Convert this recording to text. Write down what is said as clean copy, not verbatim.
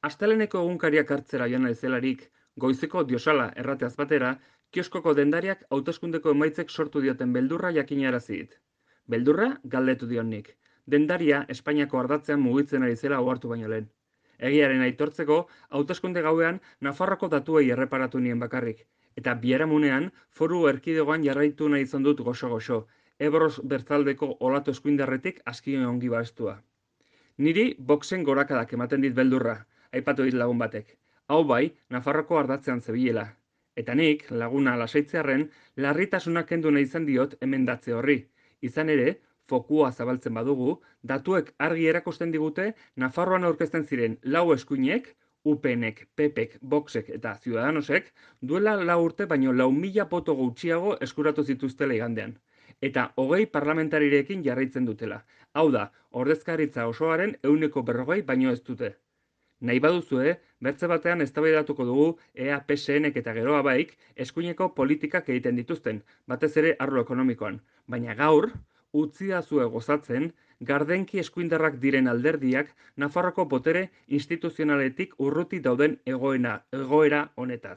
Asteleneko egunkariak hartzera joan naizelarik, goizeko diosala errateaz batera, kioskoko dendariak hauteskundeko emaitzek sortu dioten beldurra jakinarazi dit. Beldurra galdetu dion nik. Dendaria Espainiako ardatzean mugitzen ari zela ohartu baino lehen. Egiaren aitortzeko, hauteskunde gauean Nafarroko datuei erreparatu nien bakarrik, eta biharamunean foru erkidegoan jarraitu nahi izan dut goxo-goxo, Ebros bertzaldeko olatu eskuindarretik aski ongi bastua. Niri boxen gorakadak ematen dit beldurra, aipatu dit lagun batek. Hau bai, Nafarroko ardatzean zebilela. Eta nik, laguna lasaitzearren, larritasuna kendu nahi izan diot emendatze horri. Izan ere, fokua zabaltzen badugu, datuek argi erakusten digute Nafarroan aurkezten ziren lau eskuinek, UPNek, PPek, Voxek eta Ciudadanosek, duela 4 urte baino 4.000 boto gutxiago eskuratu zituztela igandean. Eta 20 parlamentarirekin jarraitzen dutela. Hau da, ordezkaritza osoaren 140 baino ez dute. Nahi baduzue, bertze batean eztabaidatuko dugu ea PSNek eta geroa baik eskuineko politikak egiten dituzten, batez ere arlo ekonomikoan. Baina gaur, utzidazue gozatzen, gardenki eskuindarrak diren alderdiak Nafarroko botere instituzionaletik urruti dauden egoera honetaz.